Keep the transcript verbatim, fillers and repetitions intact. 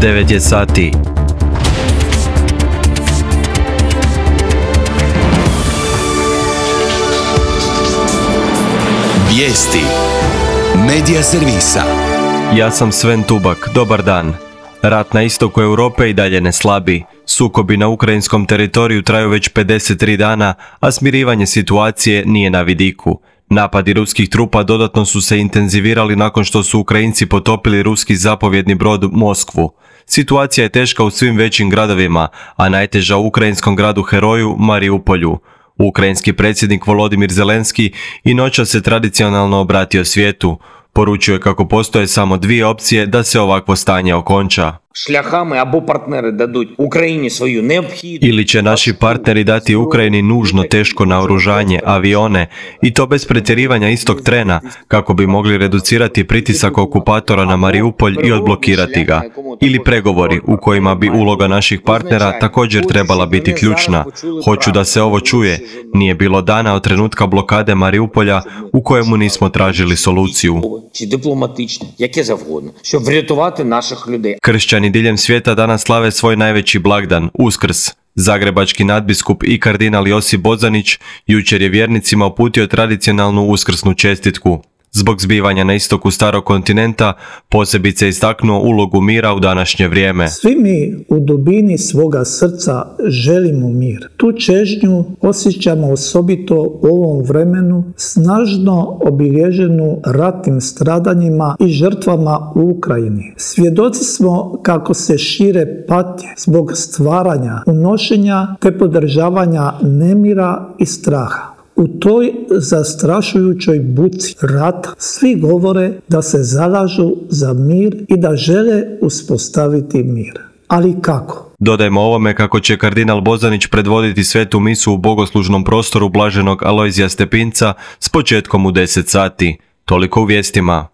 devet je sati. Vijesti Medija servisa. Ja sam Sven Tubak, dobar dan. Rat na istoku Europe i dalje ne slabi. Sukobi na ukrajinskom teritoriju traju već pedeset tri dana, a smirivanje situacije nije na vidiku. Napadi ruskih trupa dodatno su se intenzivirali nakon što su Ukrajinci potopili ruski zapovjedni brod Moskvu. Situacija je teška u svim većim gradovima, a najteža u ukrajinskom gradu heroju Mariupolju. Ukrajinski predsjednik Volodimir Zelenski i noćas se tradicionalno obratio svijetu. Poručio je kako postoje samo dvije opcije da se ovakvo stanje okonča. Шляхами або партнери дадуть Україні свою необхідну... Ili će naši partneri dati Ukrajini nužno teško naoružanje, avione, i to bez pretjerivanja istog trena, kako bi mogli reducirati pritisak okupatora na Mariupolj i odblokirati ga. Ili pregovori u kojima bi uloga naših partnera također trebala biti ključna. Hoću da se ovo čuje. Nije bilo dana od trenutka blokade Mariupolja u kojemu nismo tražili soluciju. Kršćani diljem svijeta danas slave svoj najveći blagdan, Uskrs. Zagrebački nadbiskup i kardinal Josip Bozanić jučer je vjernicima uputio tradicionalnu uskrsnu čestitku. Zbog zbivanja na istoku starog kontinenta posebice istaknuo ulogu mira u današnje vrijeme. Svi mi u dubini svoga srca želimo mir. Tu čežnju osjećamo osobito u ovom vremenu, snažno obilježenu ratnim stradanjima i žrtvama u Ukrajini. Svjedoci smo kako se šire patnje zbog stvaranja, unošenja te podržavanja nemira i straha. U toj zastrašujućoj buci rata svi govore da se zalažu za mir i da žele uspostaviti mir. Ali kako? Dodajmo ovome kako će kardinal Bozanić predvoditi svetu misu u bogoslužnom prostoru blaženog Alojzija Stepinca s početkom u deset sati. Toliko u vijestima.